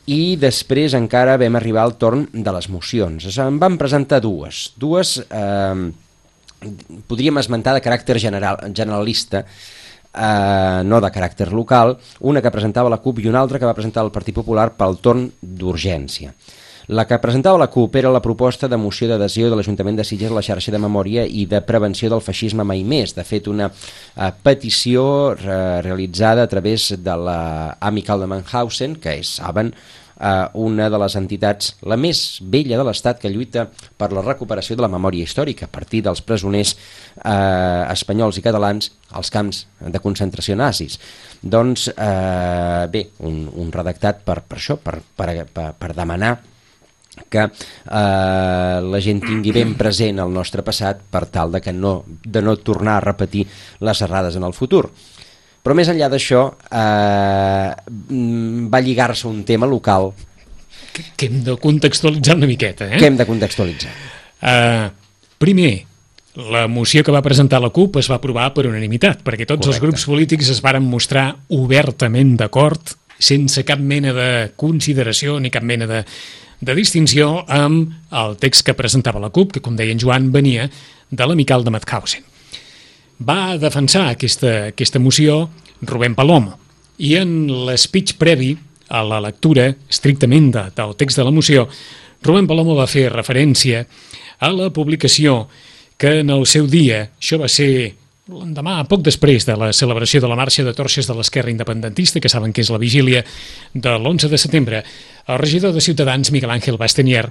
i després encara vam arribar al torn de les mocions. En vam presentar dues podríem esmentar de caràcter generalista, no de caràcter local, una que presentava la CUP i una altra que va presentar el Partit Popular pel torn d'urgència. La que presentava la CUP era la proposta de moció d'adhesió de l'Ajuntament de Sitges a la xarxa de memòria i de prevenció del feixisme mai més. De fet, una petició realitzada a través de l'Amical de Mannhausen, que és, saben, una de les entitats, la més vella de l'Estat, que lluita per la recuperació de la memòria històrica a partir dels presoners espanyols i catalans als camps de concentració nazis. Doncs, bé, un redactat per això, per demanar que la gent tingui ben present el nostre passat per tal de no tornar a repetir les errades en el futur. Però més enllà d'això va lligar-se un tema local que hem de contextualitzar una miqueta, que hem de contextualitzar. Primer, la moció que va presentar la CUP es va aprovar per unanimitat, perquè tots els grups polítics es varen mostrar obertament d'acord, sense cap mena de consideració ni cap mena de distinció amb el text que presentava la CUP, que, com deia en Joan, venia de l'Amical de Mauthausen. Va defensar aquesta moció Rubén Palomo, i en l'espeech previ a la lectura estrictament del text de la moció, Rubén Palomo va fer referència a la publicació que en el seu dia, això va ser l'endemà, poc després de la celebració de la marxa de torxes de l'esquerra independentista, que saben que és la vigília de l'11 de setembre, el regidor de Ciutadans, Miguel Ángel Bastenier,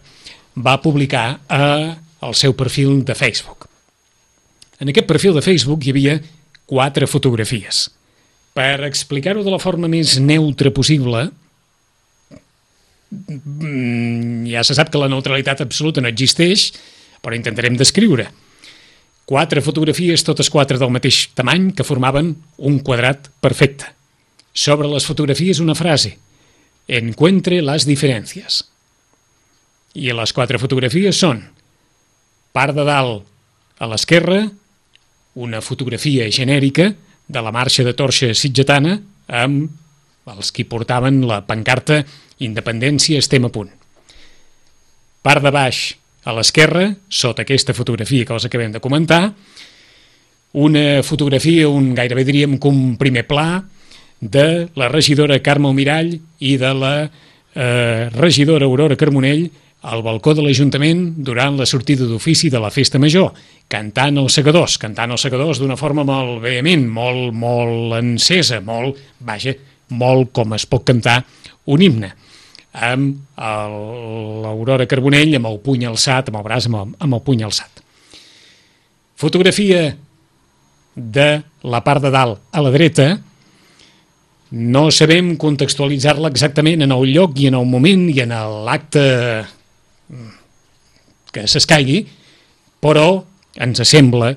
va publicar al seu perfil de Facebook. En aquest perfil de Facebook hi havia 4 fotografies. Per explicar-ho de la forma més neutra possible, ja se sap que la neutralitat absoluta no existeix, però intentarem descriure. 4 fotografies, totes 4 del mateix tamany, que formaven un quadrat perfecte. Sobre les fotografies una frase: encuentre las diferencias. I les 4 fotografies són: part de dalt a l'esquerra, una fotografia genèrica de la marxa de torxa sitgetana amb els qui portaven la pancarta Independència estem a punt. Part de baix a l'esquerra, sota aquesta fotografia que els acabem de comentar, una fotografia, gairebé diríem que un primer pla, de la regidora Carme Almirall i de la regidora Aurora Carbonell al balcó de l'Ajuntament durant la sortida d'ofici de la Festa Major, cantant els segadors d'una forma molt vehement, molt encesa, molt com es pot cantar un himne, amb l'Aurora Carbonell amb el puny alçat, amb el braç amb el puny alçat. Fotografia de la part de dalt a la dreta, no sabem contextualitzar-la exactament en el lloc i en el moment i en l'acte que s'escaigui, però ens sembla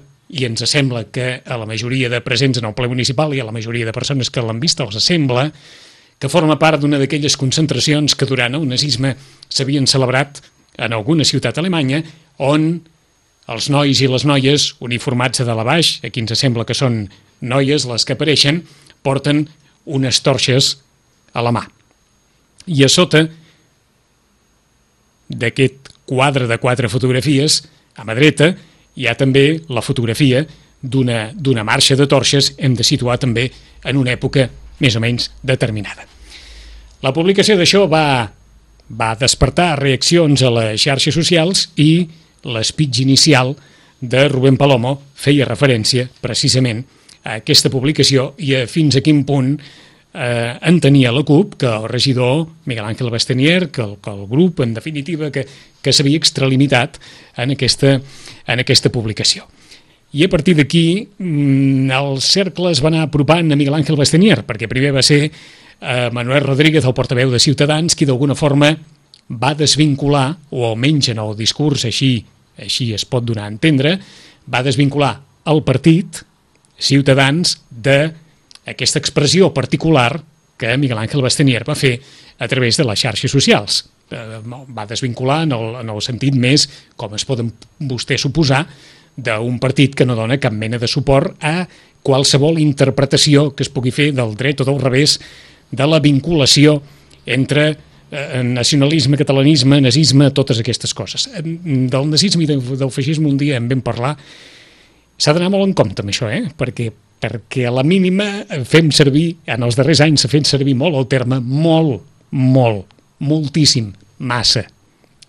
que a la majoria de presents en el ple municipal i a la majoria de persones que l'han vist els sembla que forma part d'una d'aquelles concentracions que durant el nazisme s'havien celebrat en alguna ciutat alemanya, on els nois i les noies uniformats de dalt a baix, aquí ens sembla que són noies les que apareixen, porten unes torxes a la mà. I a sota d'aquest quadre de 4 fotografies, a mà dreta, hi ha també la fotografia d'una marxa de torxes, hem de situar també en una època més o menys determinada. La publicació d'això va despertar reaccions a les xarxes socials i l'espeech inicial de Rubén Palomo feia referència precisament a aquesta publicació i a fins a quin punt entenia la CUP que el regidor Miguel Ángel Bastenier, que el grup, en definitiva, que s'havia extralimitat en aquesta publicació. I a partir d'aquí el cercle es va anar apropant a Miguel Ángel Bastenier, perquè primer va ser Manuel Rodríguez, el portaveu de Ciutadans, qui d'alguna forma va desvincular, o almenys en el discurs així es pot donar a entendre, va desvincular el partit, Ciutadans, d'aquesta expressió particular que Miguel Ángel Bastenier va fer a través de les xarxes socials. Va desvincular en el sentit més, com es poden vostès suposar, d'un partit que no dona cap mena de suport a qualsevol interpretació que es pugui fer del dret o del revés de la vinculació entre nacionalisme, catalanisme, nazisme, totes aquestes coses. Del nazisme i del feixisme un dia en vam parlar. S'ha d'anar molt en compte amb això, perquè a la mínima fem servir, en els darrers anys s'ha fet servir molt el terme moltíssim, massa,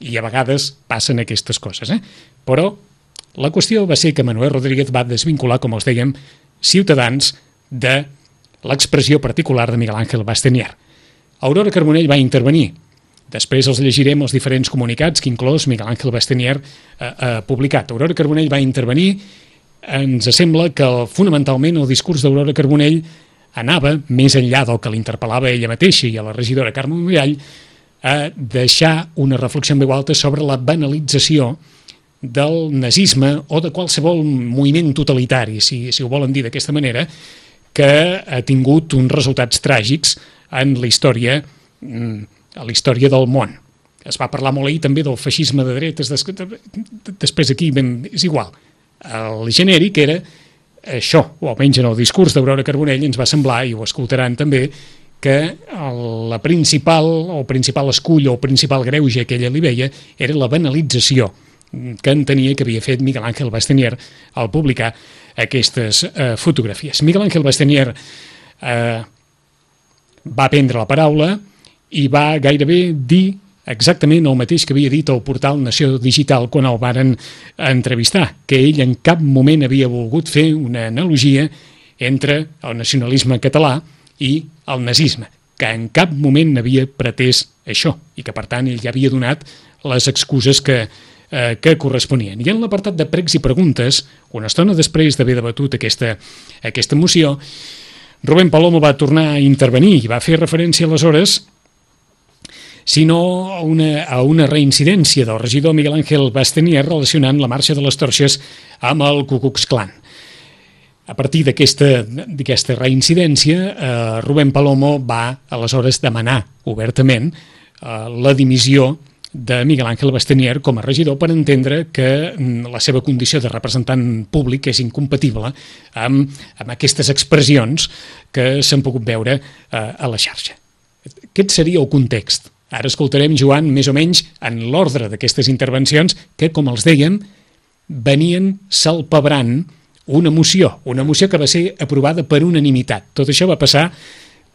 i a vegades passen aquestes coses. Però la qüestió va ser que Manuel Rodríguez va desvincular, com els dèiem, Ciutadans de l'expressió particular de Miguel Ángel Bastenier. Aurora Carbonell va intervenir. Després els llegirem els diferents comunicats que inclòs Miguel Ángel Bastenier ha publicat. Aurora Carbonell va intervenir. Ens sembla que fonamentalment el discurs d'Aurora Carbonell anava més enllà del que l'interpel·lava ella mateixa i a la regidora Carme Mirall a deixar una reflexió en veu alta sobre la banalització del nazisme o de qualsevol moviment totalitari, si ho volen dir d'aquesta manera, que ha tingut uns resultats tràgics en la història del món. Es va parlar molt ahir també del feixisme de dretes, després aquí és igual. El genèric era això, o almenys en el discurs d'Aurora Carbonell ens va semblar, i ho escoltaran també, que el principal escull o el principal greuge que ella li veia era la banalització que entenia que havia fet Miguel Ángel Bastenier al publicar aquestes fotografies. Miguel Ángel Bastenier va prendre la paraula i va gairebé dir exactament el mateix que havia dit al portal Nació Digital quan el varen entrevistar, que ell en cap moment havia volgut fer una analogia entre el nacionalisme català i el nazisme, que en cap moment havia pretès això i que, per tant, ell ja havia donat les excuses que corresponien. I en l'apartat de pregs i preguntes, una estona després d'haver debatut aquesta moció, Rubén Palomo va tornar a intervenir i va fer referència aleshores sinó a una reincidència del regidor Miguel Ángel Bastenier relacionant la marxa de les torxes amb el Ku Klux Klan. A partir d'aquesta reincidència, Rubén Palomo va aleshores demanar obertament la dimissió de Miguel Ángel Bastenier com a regidor per entendre que la seva condició de representant públic és incompatible amb aquestes expressions que s'han pogut veure a la xarxa. Aquest seria el context. Ara escoltarem, Joan, més o menys en l'ordre d'aquestes intervencions que, com els dèiem, venien salpebrant una moció que va ser aprovada per unanimitat. Tot això va passar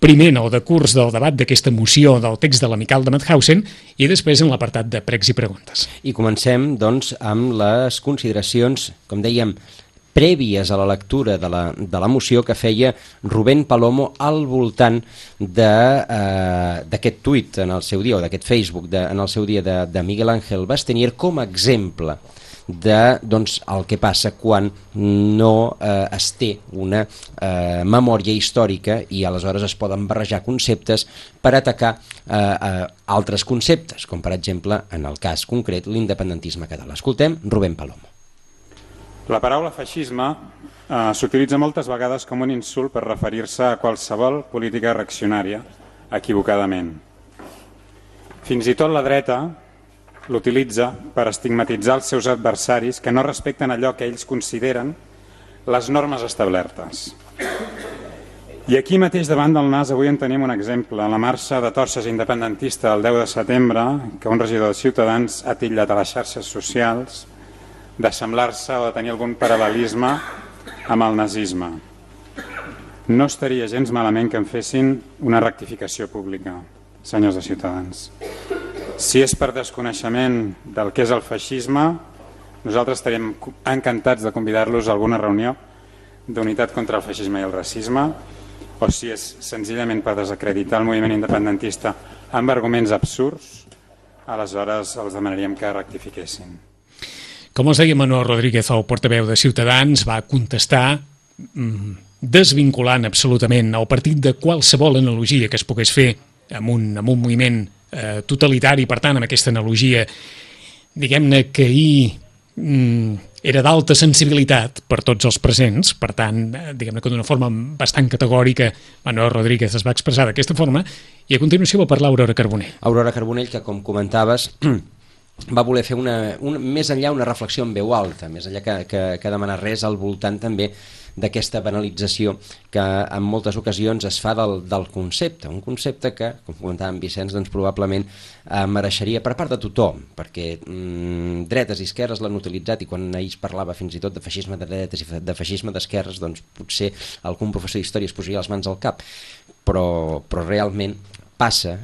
primer en el decurs del debat d'aquesta moció del text de l'amical de Mauthausen i després en l'apartat de pregs i preguntes. I comencem, doncs, amb les consideracions, com dèiem, prèvies a la lectura de la moció que feia Rubén Palomo al voltant d'aquest tuit en el seu dia, o d'aquest Facebook en el seu dia de Miguel Ángel Bastenier com a exemple de el que passa quan no es té una memòria històrica i aleshores es poden barrejar conceptes per atacar altres conceptes, com per exemple, en el cas concret, l'independentisme català. Escoltem Rubén Palomo. La paraula feixisme s'utilitza moltes vegades com un insult per referir-se a qualsevol política reaccionària, equivocadament. Fins i tot la dreta l'utilitza per estigmatitzar els seus adversaris que no respecten allò que ells consideren les normes establertes. I aquí mateix davant del nas avui en tenim un exemple. La marxa de torxes independentista el 10 de setembre, que un regidor de Ciutadans ha titllat a les xarxes socials d'assemblar-se o de tenir algun paral·lelisme amb el nazisme. No estaria gens malament que en fessin una rectificació pública, senyors de Ciutadans. Si és per desconeixement del que és el feixisme, nosaltres estaríem encantats de convidar-los a alguna reunió d'unitat contra el feixisme i el racisme, o si és senzillament per desacreditar el moviment independentista amb arguments absurds, aleshores els demanaríem que rectifiquessin. Com els deia Manuel Rodríguez, el portaveu de Ciutadans, va contestar desvinculant absolutament el partit de qualsevol analogia que es pogués fer amb un moviment totalitari, per tant, amb aquesta analogia, diguem-ne que ahir era d'alta sensibilitat per tots els presents, per tant, diguem-ne que d'una forma bastant categòrica Manuel Rodríguez es va expressar d'aquesta forma, i a continuació va parlar Aurora Carbonell. Aurora Carbonell, que com comentaves va voler fer més enllà una reflexió en veu alta, més enllà que demanar res al voltant també d'aquesta banalització que en moltes ocasions es fa del concepte, un concepte que, com comentava en Vicenç, doncs probablement mereixeria per part de tothom, perquè dretes i esquerres l'han utilitzat, i quan ells parlava fins i tot de feixisme de dretes i de feixisme d'esquerres, doncs potser algun professor d'història es posaria les mans al cap, però realment passa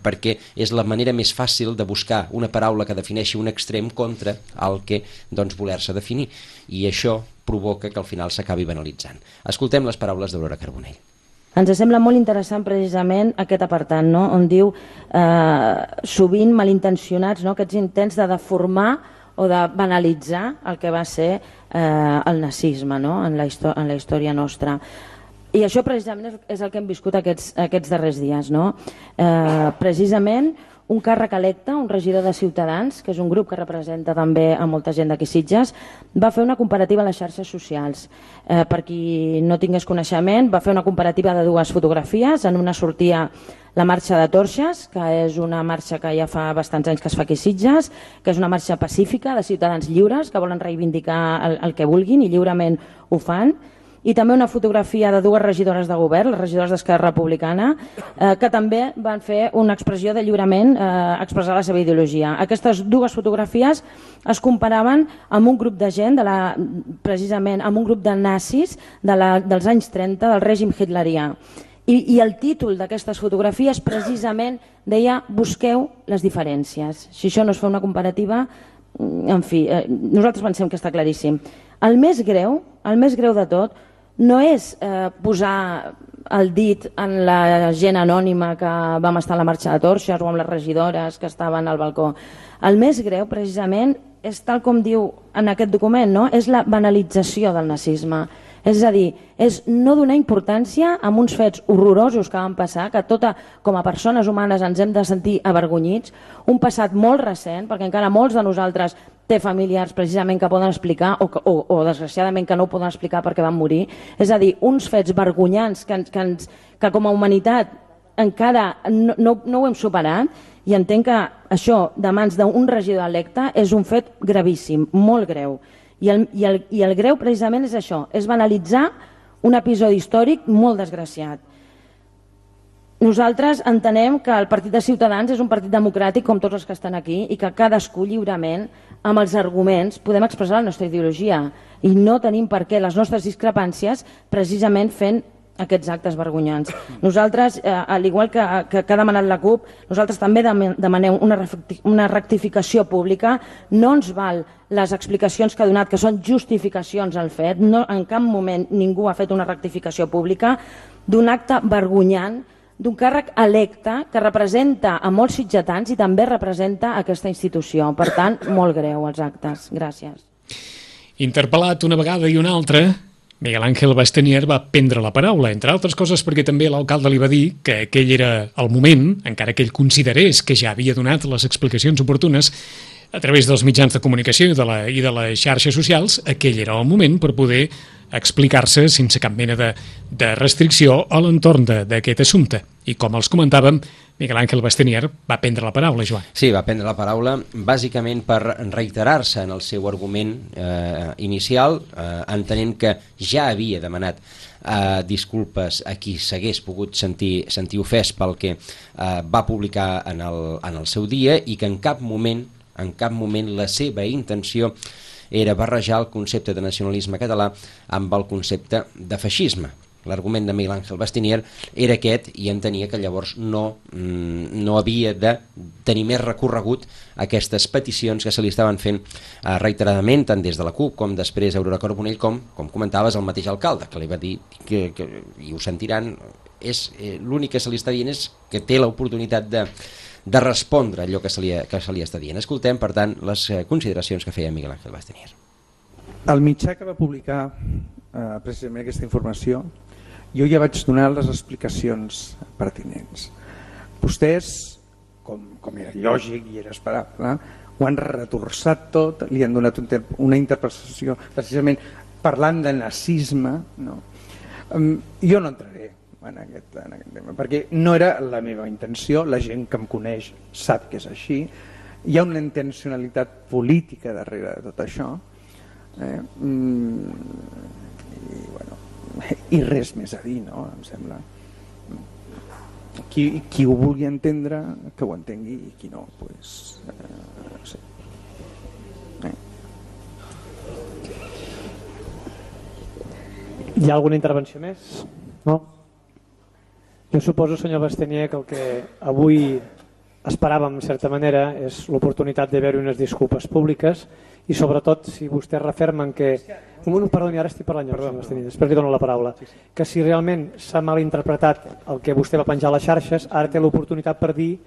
perquè és la manera més fàcil de buscar una paraula que defineixi un extrem contra el que doncs, voler-se definir, i això provoca que al final s'acabi banalitzant. Escoltem les paraules d'Aurora Carbonell. Ens sembla molt interessant precisament aquest apartat, no? On diu sovint malintencionats, no? Aquests intents de deformar o de banalitzar el que va ser el nazisme, no? en la història nostra. I això precisament és el que hem viscut aquests darrers dies, no? Precisament un càrrec electe, un regidor de Ciutadans, que és un grup que representa també a molta gent d'aquí Sitges, va fer una comparativa a les xarxes socials. Per qui no tingués coneixement, va fer una comparativa de dues fotografies. En una sortia la marxa de Torxes, que és una marxa que ja fa bastants anys que es fa aquí a Sitges, que és una marxa pacífica de ciutadans lliures que volen reivindicar el que vulguin i lliurement ho fan. I també una fotografia de dues regidores de govern, les regidores d'Esquerra Republicana, que també van fer una expressió de lliurement, expressar la seva ideologia. Aquestes dues fotografies es comparaven amb un grup de gent, precisament amb un grup de nazis dels anys 30, del règim hitlerià. I el títol d'aquestes fotografies precisament deia busqueu les diferències. Si això no es fa una comparativa, en fi, nosaltres pensem que està claríssim. El més greu de tot, no és posar el dit en la gent anònima que vam estar a la marxa de Torxes o amb les regidores que estaven al balcó. El més greu, precisament, és tal com diu en aquest document, no? És la banalització del nazisme. És a dir, és no donar importància a uns fets horrorosos que van passar, que com a persones humanes ens hem de sentir avergonyits, un passat molt recent, perquè encara molts de nosaltres té familiars precisament que poden explicar o desgraciadament que no ho poden explicar perquè van morir. És a dir, uns fets vergonyants que com a humanitat encara no ho hem superat, i entenc que això de mans d'un regidor electe és un fet gravíssim, molt greu. I el greu precisament és això, és banalitzar un episodi històric molt desgraciat. Nosaltres entenem que el Partit de Ciutadans és un partit democràtic com tots els que estan aquí i que cadascú lliurement, amb els arguments, podem expressar la nostra ideologia i no tenim per què les nostres discrepàncies precisament fent aquests actes vergonyants. Nosaltres, al igual que ha demanat la CUP, nosaltres també demanem una rectificació pública. No ens val les explicacions que ha donat, que són justificacions al fet. No, en cap moment ningú ha fet una rectificació pública d'un acte vergonyant, d'un càrrec electe que representa a molts sitgetans i també representa aquesta institució. Per tant, molt greu els actes. Gràcies. Interpel·lat una vegada i una altra, Miguel Ángel Bastenier va prendre la paraula, entre altres coses perquè també l'alcalde li va dir que aquell era el moment, encara que ell considerés que ja havia donat les explicacions oportunes a través dels mitjans de comunicació i de les xarxes socials, aquell era el moment per poder explicar-se sense cap mena de restricció a l'entorn d'aquest assumpte. I com els comentàvem, Miguel Ángel Bastenier va prendre la paraula, Joan. Sí, va prendre la paraula bàsicament per reiterar-se en el seu argument inicial, entenent que ja havia demanat disculpes a qui s'hagués pogut sentir ofès pel que va publicar en el seu dia, i que en cap moment la seva intenció era barrejar el concepte de nacionalisme català amb el concepte de feixisme. L'argument de Miguel Ángel Bastenier era aquest, i entenia que llavors no havia de tenir més recorregut aquestes peticions que se li estaven fent reiteradament, tant des de la CUP com després Aurora Carbonell, com comentaves el mateix alcalde, que li va dir que i ho sentiran, l'únic que se li està dient és que té l'oportunitat de respondre allò que se li està dient. Escoltem, per tant, les consideracions que feia Miguel Ángel Bastenier. El mitjà que va publicar precisament aquesta informació, jo ja vaig donar les explicacions pertinents. Vostès, com era lògic i era esperable, ho han retorçat tot, li han donat una interpretació precisament parlant de nazisme. No? Jo no entraré en aquest tema, perquè no era la meva intenció, la gent que em coneix sap que és així, hi ha una intencionalitat política darrere de tot això, i res més a dir, no? Em sembla. Qui ho vulgui entendre, que ho entengui, i qui no, doncs, no sé. Hi ha alguna intervenció més? No? Jo suposo, senyor Bastenier, que el que avui esperàvem, en certa manera, és l'oportunitat de veure unes disculpes públiques i, sobretot, si vostès refermen que... Perdoni, ara estic parlant jo, Bastenier, després li dono la paraula. Que si realment s'ha malinterpretat el que vostè va penjar a les xarxes, ara té l'oportunitat per dir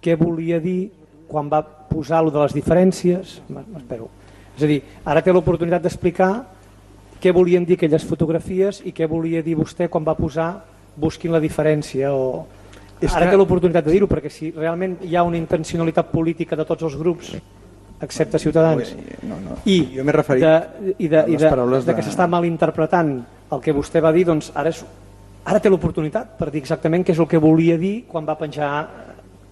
què volia dir quan va posar lo de les diferències. M'espero. És a dir, ara té l'oportunitat d'explicar què volien dir aquelles fotografies i què volia dir vostè quan va posar busquin la diferència. Ara té l'oportunitat de dir-ho, perquè si realment hi ha una intencionalitat política de tots els grups, excepte Ciutadans, i de que s'està malinterpretant el que vostè va dir, doncs ara té l'oportunitat per dir exactament què és el que volia dir quan va penjar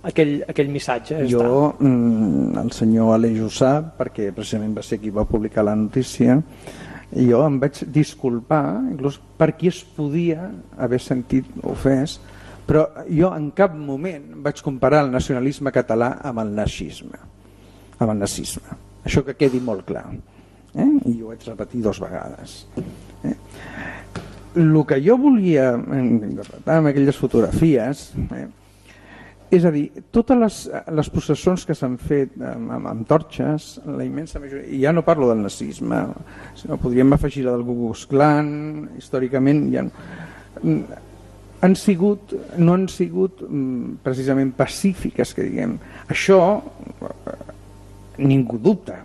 aquell missatge. Jo, el senyor Aleix ho sap, perquè precisament va ser qui va publicar la notícia, i jo em vaig disculpar inclús per qui es podia haver sentit ofès, però jo en cap moment vaig comparar el nacionalisme català amb el nazisme. Això que quedi molt clar, i ho vaig repetir 2 vegades. El que jo volia interpretar amb aquelles fotografies, és a dir, totes les processons que s'han fet amb torxes, la immensa majoria, i ja no parlo del nazisme, sinó podríem afegir la del Ku Klux Klan, històricament ja no han sigut precisament pacífiques, que diguem. Això ningú dubta,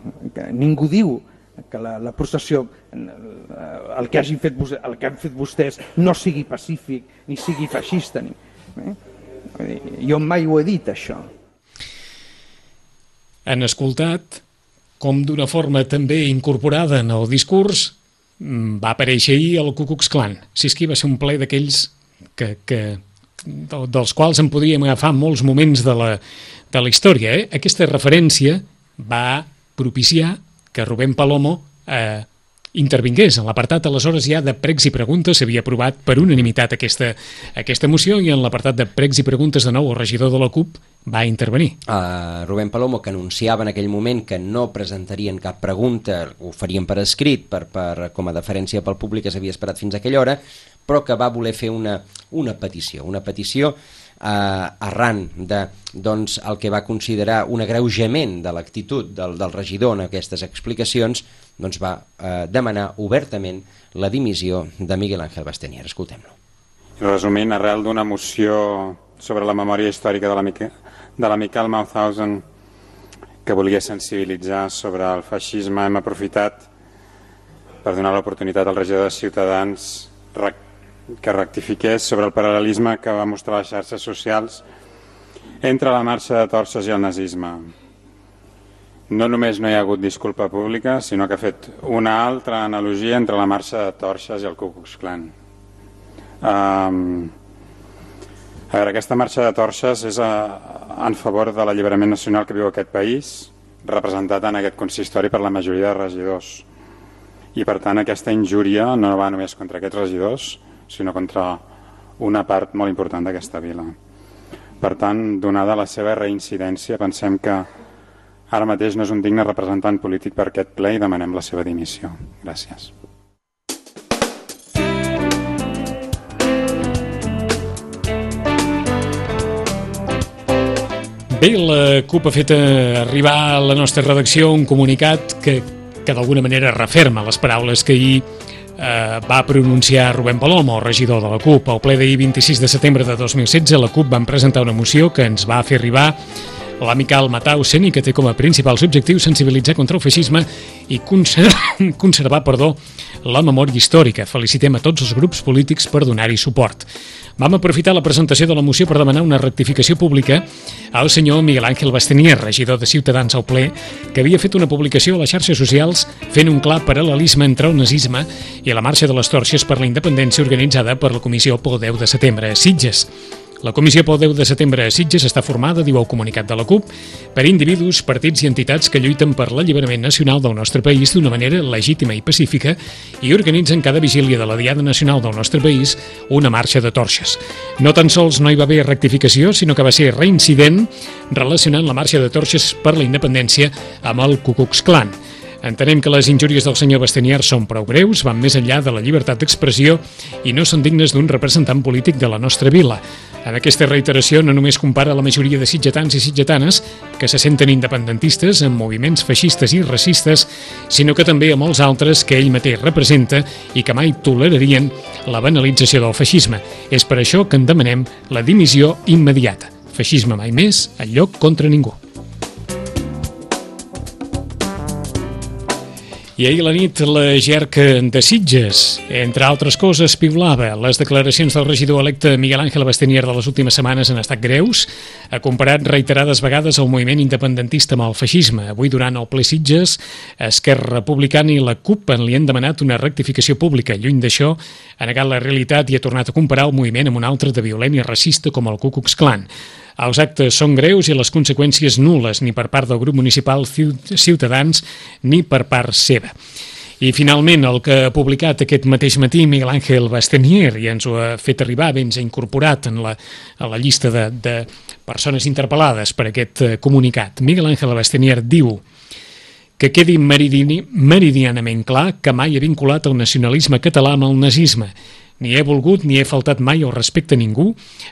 ningú diu que la processió, el que han fet vostès no sigui pacífic ni sigui feixista. Jo mai ho he dit, això. Han escoltat com d'una forma també incorporada en el discurs va aparèixer ahir el Ku Klux Klan. Si és que va ser un ple d'aquells dels quals en podríem agafar molts moments de la història. Aquesta referència va propiciar que Rubén Palomo intervingués. En l'apartat, aleshores, ja de pregs i preguntes s'havia aprovat per unanimitat aquesta moció, i en l'apartat de pregs i preguntes, de nou, el regidor de la CUP va intervenir. Rubén Palomo, que anunciava en aquell moment que no presentarien cap pregunta, ho farien per escrit, com a deferència pel públic que s'havia esperat fins a aquella hora, però que va voler fer una petició arran de el que va considerar un agreujament de l'actitud del regidor en aquestes explicacions, doncs va demanar obertament la dimissió de Miguel Ángel Bastenier. Escoltem-lo. Resumint, arrel d'una moció sobre la memòria històrica de la Miquel Mauthausen, que volia sensibilitzar sobre el feixisme, hem aprofitat per donar l'oportunitat al regidor de Ciutadans que rectifiqués sobre el paral·lelisme que va mostrar les xarxes socials entre la marxa de torxes i el nazisme. No només no hi ha hagut disculpa pública, sinó que ha fet una altra analogia entre la marxa de torxes i el Ku Klux Klan. A veure, aquesta marxa de torxes és en favor de l'alliberament nacional que viu aquest país, representat en aquest consistori per la majoria de regidors. I per tant aquesta injúria no va només contra aquests regidors, sinó contra una part molt important d'aquesta vila. Per tant, donada la seva reincidència, pensem que ara mateix no és un digne representant polític per aquest ple i demanem la seva dimissió. Gràcies. Bé, la CUP ha fet arribar a la nostra redacció un comunicat que d'alguna manera referma les paraules que ahir va pronunciar Rubén Palomo, regidor de la CUP. Al ple d'ahir 26 de setembre de 2016, la CUP van presentar una moció que ens va fer arribar l'amical Mauthausen i que té com a principals objectius sensibilitzar contra el feixisme i conservar la memòria històrica. Felicitem a tots els grups polítics per donar-hi suport. Vam aprofitar la presentació de la moció per demanar una rectificació pública al senyor Miguel Ángel Bastenier, regidor de Ciutadans al ple, que havia fet una publicació a les xarxes socials fent un clar paral·lelisme entre el nazisme i la marxa de les torxes per la independència organitzada per la Comissió pel 10 de setembre a Sitges. La comissió pel 10 de setembre a Sitges està formada, diu el comunicat de la CUP, per individus, partits i entitats que lluiten per l'alliberament nacional del nostre país d'una manera legítima i pacífica i organitzen cada vigília de la Diada Nacional del nostre país una marxa de torxes. No tan sols no hi va haver rectificació, sinó que va ser reincident relacionant la marxa de torxes per la independència amb el Ku Klux Klan. Entenem que les injúries del senyor Bastenier són prou greus, van més enllà de la llibertat d'expressió i no són dignes d'un representant polític de la nostra vila. En aquesta reiteració no només compara la majoria de sitgetans i sitgetanes que se senten independentistes amb moviments feixistes i racistes, sinó que també a molts altres que ell mateix representa i que mai tolerarien la banalització del feixisme. És per això que en demanem la dimissió immediata. Feixisme mai més, enlloc contra ningú. I ahir a la nit la GERC de Sitges, entre altres coses, piulava. Les declaracions del regidor electe Miguel Ángel Bastenier de les últimes setmanes han estat greus. Ha comparat reiterades vegades el moviment independentista amb el feixisme. Avui, durant el ple Sitges, Esquerra Republicana i la CUP li han demanat una rectificació pública. Lluny d'això, ha negat la realitat i ha tornat a comparar el moviment amb un altre de violent i racista com el Ku Klux Klan. Els actes són greus i les conseqüències nul·les, ni per part del grup municipal Ciutadans ni per part seva. I finalment, el que ha publicat aquest mateix matí Miguel Ángel Bastenier, i ens ho ha fet arribar, ben s'ha incorporat a la llista de persones interpel·lades per aquest comunicat. Miguel Ángel Bastenier diu que quedi meridianament clar que mai ha vinculat el nacionalisme català amb el nazisme. Ni he volgut ni he faltat mai el respecte a ningú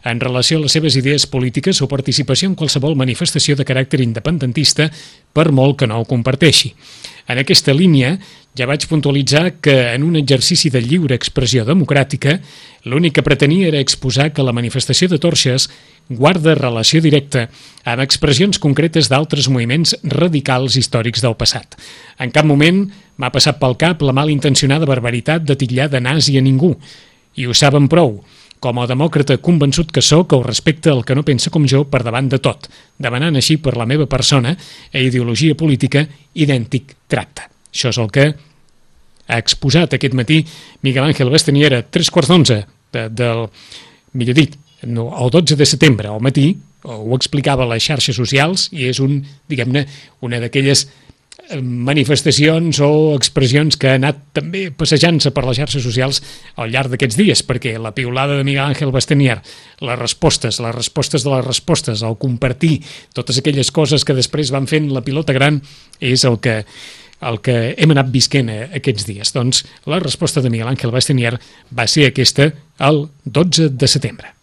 en relació a les seves idees polítiques o participació en qualsevol manifestació de caràcter independentista, per molt que no ho comparteixi. En aquesta línia, ja vaig puntualitzar que en un exercici de lliure expressió democràtica, l'únic que pretenia era exposar que la manifestació de torxes guarda relació directa amb expressions concretes d'altres moviments radicals històrics del passat. En cap moment m'ha passat pel cap la malintencionada barbaritat de titllar de nazi a ningú, i ho saben prou. Com a demòcrata convençut que sóc, el respecte al que no pensa com jo per davant de tot, demanant així per la meva persona e ideologia política idèntic tracte. Això és el que ha exposat aquest matí Miguel Ángel Bastenier a 3:15 millor dit, el 12 de setembre al matí, ho explicava a les xarxes socials i és una d'aquelles manifestacions o expressions que ha anat també passejant-se per les xarxes socials al llarg d'aquests dies, perquè la piulada de Miguel Ángel Bastenier, les respostes de les respostes, el compartir totes aquelles coses que després van fent la pilota gran, és el que hem anat visquent aquests dies. Doncs la resposta de Miguel Ángel Bastenier va ser aquesta el 12 de setembre.